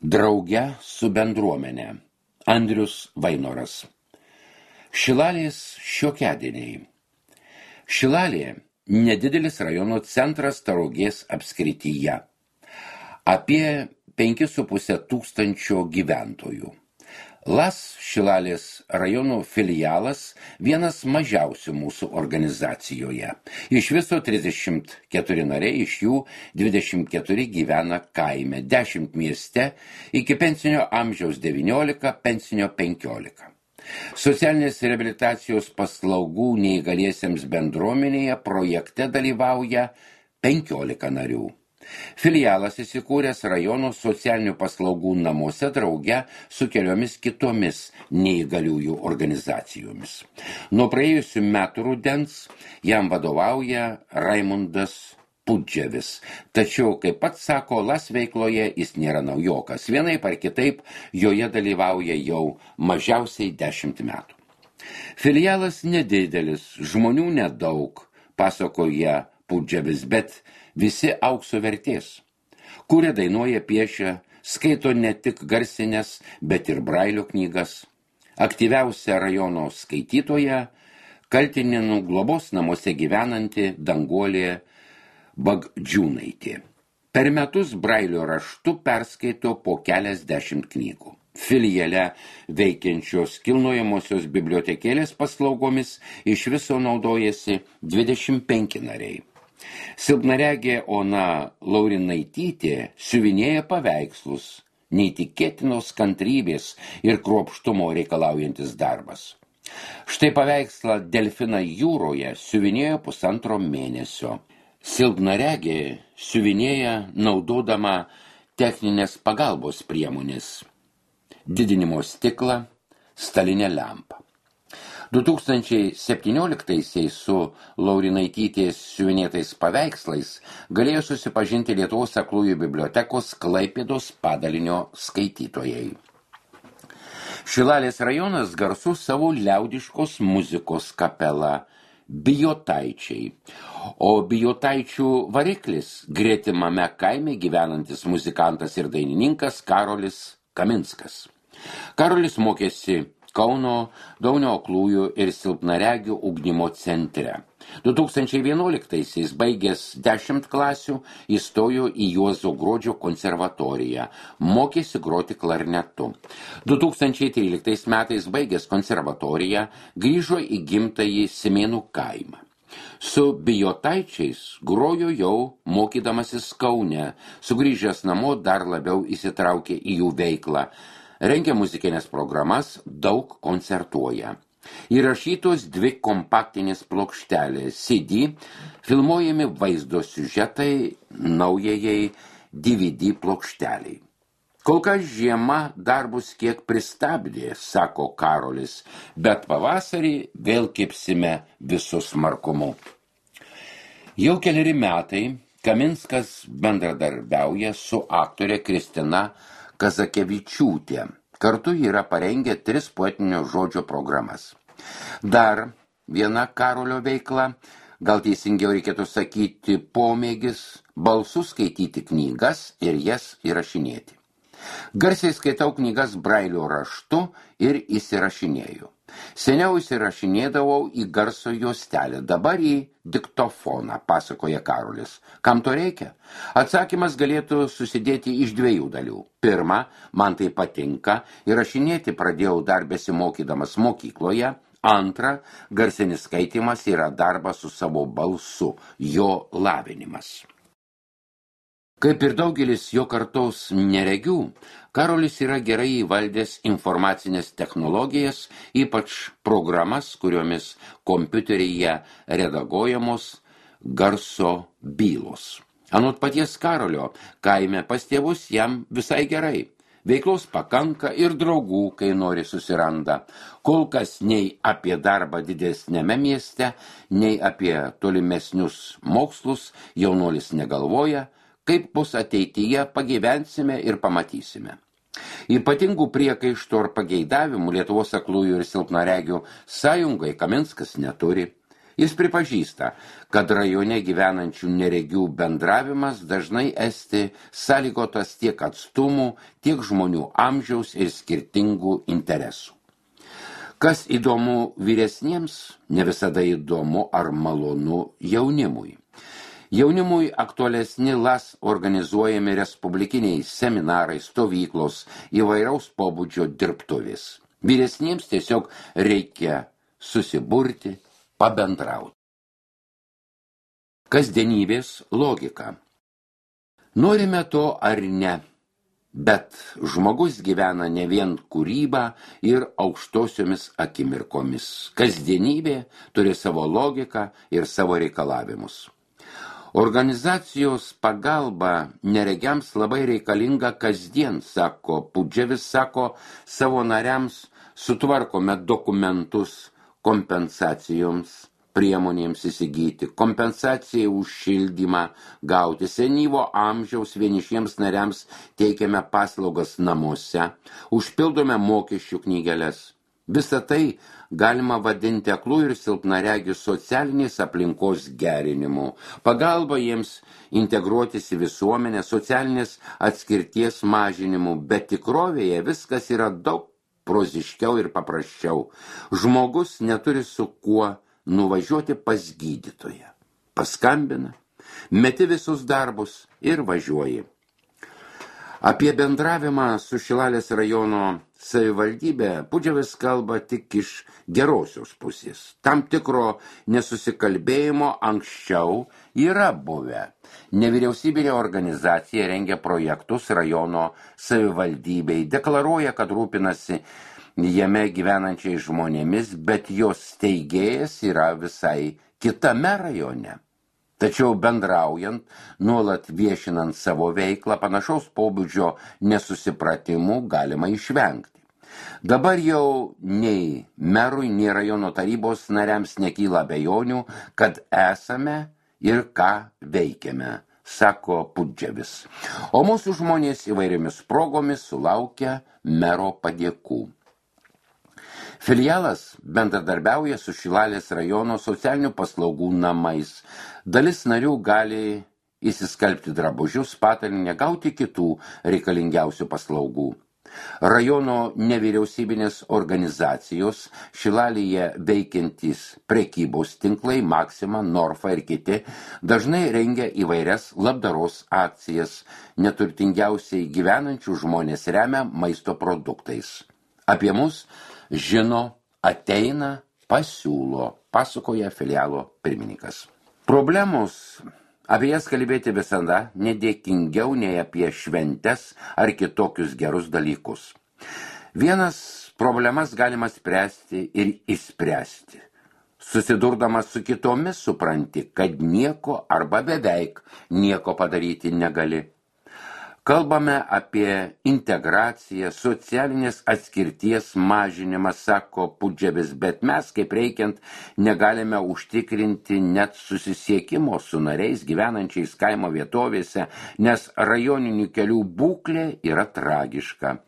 Drauge su bendruomene. Andrius Vainoras. Šilalės šiokiadieniai. Šilalė – nedidelis rajono centras Tauragės apskrityje. Apie 5,5 tūkstančio gyventojų. LAS Šilalės rajono filialas vienas mažiausių mūsų organizacijoje. Iš viso 34 nariai, iš jų 24 gyvena kaime, 10 mieste, iki pensinio amžiaus 19, pensinio 15. Socialinės reabilitacijos paslaugų neįgaliesiems bendruomenėje projekte dalyvauja 15 narių. Filialas įsikūręs rajono socialinių paslaugų namuose drauge su keliomis kitomis neįgaliųjų organizacijomis. Nuo praėjusių metų rudens jam vadovauja Raimundas Pudževis. Tačiau, kaip pats sako, LAS veikloje jis nėra naujokas. Vienaip ar kitaip joje dalyvauja jau mažiausiai 10 metų. Filialas nedidelis, žmonių nedaug, pasakoja Pudževis, bet visi aukso vertės. Kuria, dainuoja, piešia, skaito ne tik garsinės, bet ir brailio knygas. Aktyviausia rajono skaitytoja Kaltinėnų globos namuose gyvenanti Danguolė Bagdžiūnaitė. Per metus brailio raštu perskaito po keliasdešimt knygų. Filiale veikiančios kilnojamosios bibliotekėlės paslaugomis iš viso naudojasi 25 nariai. Silpnaregė Ona Laurinaitytė siuvinėja paveikslus, neįtikėtinos kantrybės ir kruopštumo reikalaujantis darbas. Štai paveikslą Delfiną jūroje siuvinėjo 1,5 mėnesio. Silpnaregė siuvinėja naudodama techninės pagalbos priemonės, didinimo stiklą, stalinę lempą. 2017-aisiais su Laurinaitytės siuvinėtais paveikslais galėjo susipažinti Lietuvos aklųjų bibliotekos Klaipėdos padalinio skaitytojai. Šilalės rajonas garsus savo liaudiškos muzikos kapela Bijotaičiai, o Bijotaičių variklis gretimame kaime gyvenantis muzikantas ir dainininkas Karolis Kaminskas. Karolis mokėsi Kauno Daunio aklųjų ir silpnaregių ugdymo centre. 2011-aisiais baigęs 10 klasių įstojo į Juozo Gruodžio konservatoriją, mokėsi groti klarnetu. 2013 metais baigęs konservatoriją grįžo į gimtąjį Simėnų kaimą. Su Bijotaičiais grojo jau mokydamasis Kaune, sugrįžęs namo dar labiau įsitraukė į jų veiklą. Rengia muzikinės programas, daug koncertuoja. Įrašytos 2 kompaktinės plokštelės CD, filmuojami vaizdo siužetai naujajai DVD plokšteliai. Kol kas žiema darbus kiek pristabdė, sako Karolis, bet pavasarį vėl kibsime visu smarkumu. Jau keleri metai Kaminskas bendradarbiauja su aktorė Kristina Kazakevičiūtė. Kartu yra parengę 3 poetinio žodžio programas. Dar viena Karolio veikla, gal teisingiau reikėtų sakyti pomėgis, balsu skaityti knygas ir jas įrašinėti. Garsiai skaitau knygas brailio raštu ir įsirašinėju. Seniau įsirašinėdavau į garso juostelę, dabar į diktofoną, pasakoja Karolis. Kam to reikia? Atsakymas galėtų susidėti iš 2 dalių. Pirma, man tai patinka, įrašinėti pradėjau dar besimokydamas mokykloje. Antra, garsinis skaitymas yra darbas su savo balsu, jo lavinimas. Kaip ir daugelis jo kartos neregių, Karolis yra gerai įvaldęs informacinės technologijas, ypač programas, kuriomis kompiuteryje redaguojamos garso bylos. Anot paties Karolio, kaime pas tėvus jam visai gerai. Veiklos pakanka ir draugų, kai nori susiranda. Kol kas nei apie darbą didesnėme mieste, nei apie tolimesnius mokslus jaunuolis negalvoja. Kaip bus ateityje, pagyvensime ir pamatysime. Ypatingų priekaištų ar pageidavimų Lietuvos aklųjų ir silpnaregių sąjungai Kaminskas neturi. Jis pripažįsta, kad rajone gyvenančių neregių bendravimas dažnai esti sąlygotas tiek atstumų, tiek žmonių amžiaus ir skirtingų interesų. Kas įdomu vyresniems, ne visada įdomu ar malonu jaunimui. Jaunimui aktualesni LAS organizuojami respublikiniai seminarai, stovyklos, įvairaus pobūdžio dirbtuvės. Vyresniems tiesiog reikia susiburti, pabendrauti. Kasdienybės logika. Norime to ar ne, bet žmogus gyvena ne vien kūryba ir aukštosiomis akimirkomis. Kasdienybė turi savo logiką ir savo reikalavimus. Organizacijos pagalba neregiams labai reikalinga kasdien, sako Pudževis, sako savo nariams, sutvarkome dokumentus kompensacijoms, priemonėms įsigyti, kompensacijai už šildymą gauti, senyvo amžiaus vienišiems nariams teikiame paslaugas namuose, užpildome mokesčių knygeles. Visą tai galima vadinti aklų ir silpnaregių socialinės aplinkos gerinimu, pagalba jiems integruotis į visuomenę, socialinės atskirties mažinimu, bet tikrovėje viskas yra daug proziškiau ir paprasčiau. Žmogus neturi su kuo nuvažiuoti pas gydytoją. Paskambina, meti visus darbus ir važiuoji. Apie bendravimą su Šilalės rajono savivaldybė Pudževis kalba tik iš gerosios pusės. Tam tikro nesusikalbėjimo anksčiau yra buvę. Nevyriausybinė organizacija rengia projektus rajono savivaldybei, deklaruoja, kad rūpinasi jame gyvenančiais žmonėmis, bet jos steigėjas yra visai kitame rajone. Tačiau bendraujant, nuolat viešinant savo veiklą, panašaus pobūdžio nesusipratimų galima išvengti. Dabar jau nei merui, nei rajono tarybos nariams nekyla abejonių, kad esame ir ką veikiame, sako Pudževis. O mūsų žmonės įvairiomis progomis sulaukia mero padėkų. Filialas bendradarbiauja su Šilalės rajono socialinių paslaugų namais. Dalis narių gali įsiskalbti drabužius, patalynę, gauti kitų reikalingiausių paslaugų. Rajono nevyriausybinės organizacijos, Šilalėje veikiantys prekybos tinklai, Maxima, Norfa ir kiti, dažnai rengia įvairias labdaros akcijas, neturtingiausiai gyvenančių žmonės remia maisto produktais. Apie mus žino, ateina, pasiūlo, pasakoja filialo pirmininkas. Problemos, apie jas kalbėti visada nedėkingiau nei apie šventes ar kitokius gerus dalykus. Vienas problemas galima spręsti ir išspręsti. Susidurdamas su kitomis supranti, kad nieko arba beveik nieko padaryti negali. Kalbame apie integraciją, socialinės atskirties mažinimą, sako Pudževis, bet mes kaip reikiant negalime užtikrinti net susisiekimo su nariais gyvenančiais kaimo vietovėse, nes rajoninių kelių būklė yra tragiška.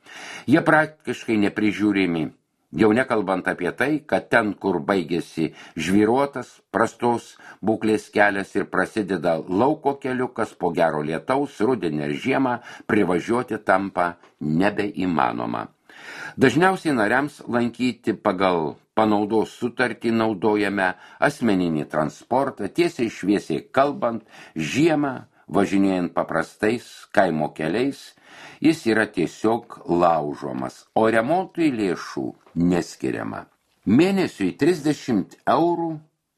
Jie praktiškai neprižiūrimi. Jau nekalbant apie tai, kad ten, kur baigėsi žvyruotas, prastos būklės kelias ir prasideda lauko keliukas, po gero lietaus, rudenį ir žiemą privažiuoti tampa nebeįmanoma. Dažniausiai nariams lankyti pagal panaudos sutartį naudojame asmeninį transportą, tiesiai šviesiai kalbant, žiemą, važinėjant paprastais kaimo keliais, jis yra tiesiog laužomas, o remontui lėšų neskiriama. Mėnesiui 30 eurų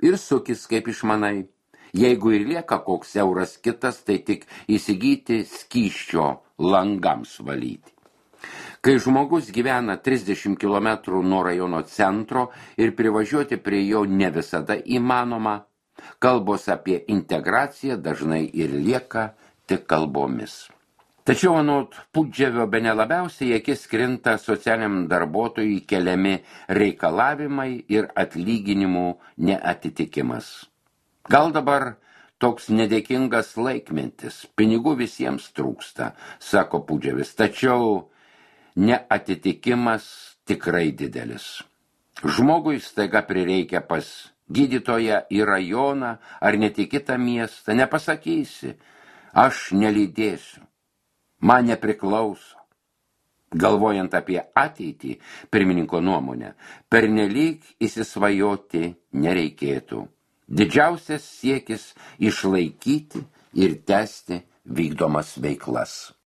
ir sukis kaip išmanai. Jeigu ir lieka koks euras kitas, tai tik įsigyti skysčio langams valyti. Kai žmogus gyvena 30 km nuo rajono centro ir privažiuoti prie jo ne visada įmanoma, kalbos apie integraciją dažnai ir lieka tik kalbomis. Tačiau anot Pudževio bene labiausiai į akis krinta socialiniam darbuotojui keliami reikalavimai ir atlyginimų neatitikimas. Gal dabar toks nedėkingas laikmetis, pinigų visiems trūksta, sako Pudževis, tačiau neatitikimas tikrai didelis. Žmogui staiga prireikia pas gydytoją į rajoną ar net į kitą miestą, nepasakysi, aš nelydėsiu, man nepriklauso. Galvojant apie ateitį, pirmininko nuomonę, pernelyg įsisvajoti nereikėtų. Didžiausias siekis išlaikyti ir tęsti vykdomas veiklas.